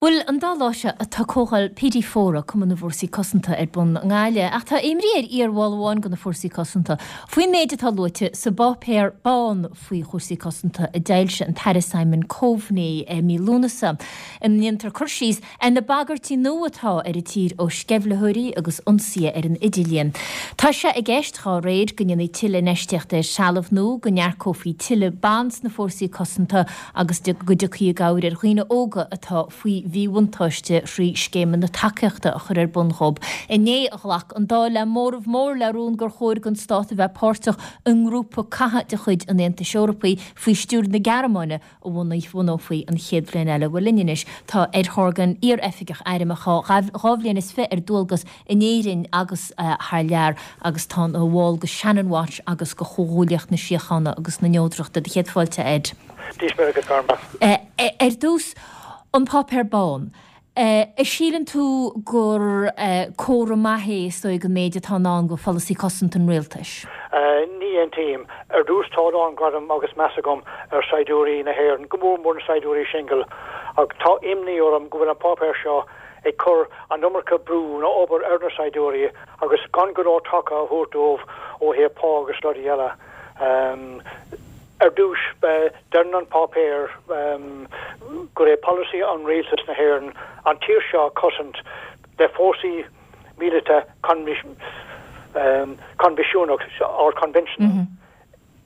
Bhuel, an dá lá seo tá comhdháil PD Fóra, Cumann na bhFórsaí Cosanta, ar bun i nGaillimh. Ach tá imní ar iarbhall amháin de na Fórsaí Cosanta faoin méid atá luaite sa bPáipéar Bán faoi chúrsaí cosanta a d'fhoilsigh an tAire Simon Coveney i mí Lúnasa, ina ndéantar cur síos ar na bagairtí nua atá ar an tír ó sceimhlitheoirí agus ionsaithe ar an idirlíon. Tá sé i gceist, dhá réir, go ndéanfaí tuilleadh infheistíochta ar threalamh nua, go n-earcófaí tuilleadh ban sna Fórsaí Cosanta agus go dtiocfaí i gcabhair ar dhaoine óga atá faoi mhíbhuntáiste thrí scéimeanna tacaíochta a chur ar bun dhóibh. Inné a ghlac an Dáil le móramh mór le rún gur chóir don stát a bheith páirteach i ngrúpa catha de chuid an Aontais Eorpaigh faoi stiúir na Gearmáine a bhunófaí an chéad bhliain eile. Bhuel linn anois tá Ed Horgan, iar-oifigeach airm a chaith 22 bhliain ar dualgas in Éirinn agus thar lear agus tá ina bhall de Shannon Watch agus de Chomhghuaillíocht na Síochána agus na Neodrachta. Do chéad fáilte, Ed. Dia is Muire agat, Garma. Ar dtús, an Páipéar Bán. An síleann tú gur comhartha maith é, is dóigh, an méid atá ann do pholasaí cosanta an rialtais? Ní aontaím. Ar dtús, tá a lán gradam agus meas agam ar saighdiúirí na hÉireann, go mór mór na saighdiúirí singil, ach tá imní orm go bhfuil an páipéar seo ag cur an iomarca brú nó obair ar na saighdiúirí agus gan go leor taca a thabhairt dóibh ó thaobh pá agus rudaí eile. Ar dtús, deireann an páipéar gur é polasaí an rialtas na hÉireann an tír seo a chosaint le fórsaí míleata coinbhisiúnach or conventional.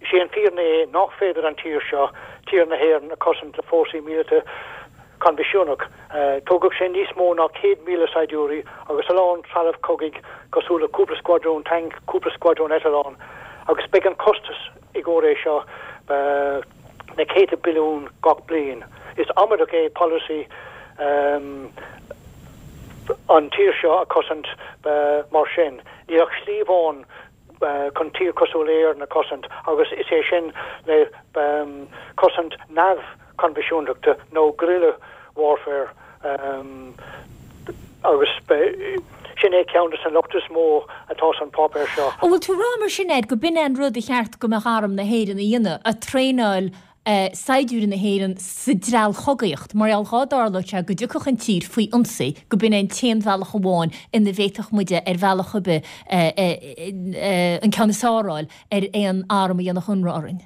Is é an fírinne é nach féidir an tír seo, tír na hÉireann, a chosaint le fórsaí míleata coinbhisiúnach. Tógfadh sé níos mó ná 100,000 saighdiúirí agus a lán trealamh cogaidh cosúil le cúpla scuadrún tanc, cúpla scuadrún eitleán agus beidh an costas i gcomhair é seo na céadta billiún gach bliain. Is amaideach é polasaí an tír seo a chosaint mar sin. Níl ach slí amháin chun tír cosúil le Éirinn a chosaint agus is é sin le cosaint neamh-choinbhisiúnachta nó guerrilla warfare agus sin é ceann de na lochta is mó atá san páipéar seo. An bhfuil tú ag rá mar sin, Ed, go b'in é an rud a cheart go mbeadh arm na hÉireann a dhéanamh, a traenáil saighdiúirí na hÉireann sa treallchogaíocht, mar gheall dhá dtarlódh sé go dtiocfadh an tír faoi ionsaí, go b'in é an t-aon bhealach amháin ina bhféadfadh muide ar bhealach ar bith an ceann is fearr a fháil ar aon arm a dhéanfadh ionradh orainn.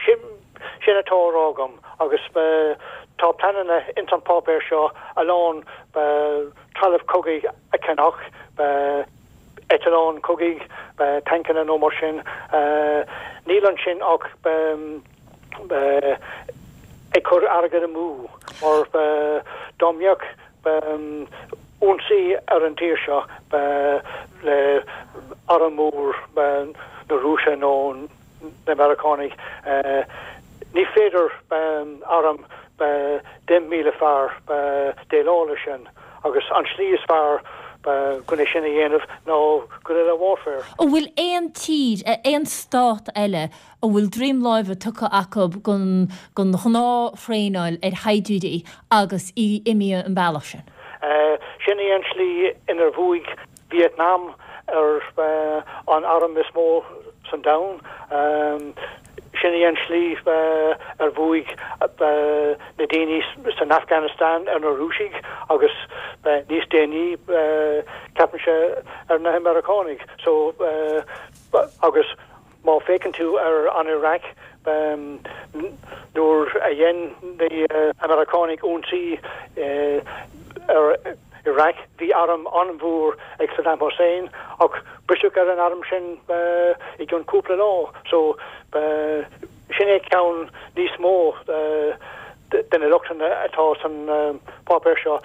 Sin, sin atá á rá agam agus tá pleananna ins an páipéar seo a lán trealamh cogaidh a cheannach, eitleáin chogaidh, tancanna nó mar sin. Níl ansin ach ag cur airgead amú mar dá mbeadh ionsaí ar an tír seo le arm mór na Rúise nó na Meiriceánaigh, ní féidir arm 10,000 fear déileáil leis sin agus an slí is fearr chun é sin a dhéanamh ná guerrilla warfare. An bhfuil aon tír, aon stát eile a bhfuil droim láimhe tugtha acu don ghnáth-thraenáil ar shaighdiúirí agus í imithe an bealach sin? Sin í an slí inar bhuaigh Vietnam ar an arm is mó san domhan. Sin í an slí ar bhuaigh na daoine san Afghanistan ar na Rúisigh agus níos déanaí ceapaimse ar na Meiriceánaigh. So agus Má féachann tú ar an Iraq, nuair a dhein na Meiriceánaigh ionsaí ar Iraq, bhí arm an-mhór ag Saddam Hussein ach briseadh ar an arm sin i gcionn cúpla lá. So, sin é ceann níos mó de na lochtanna atá san páipéar seo.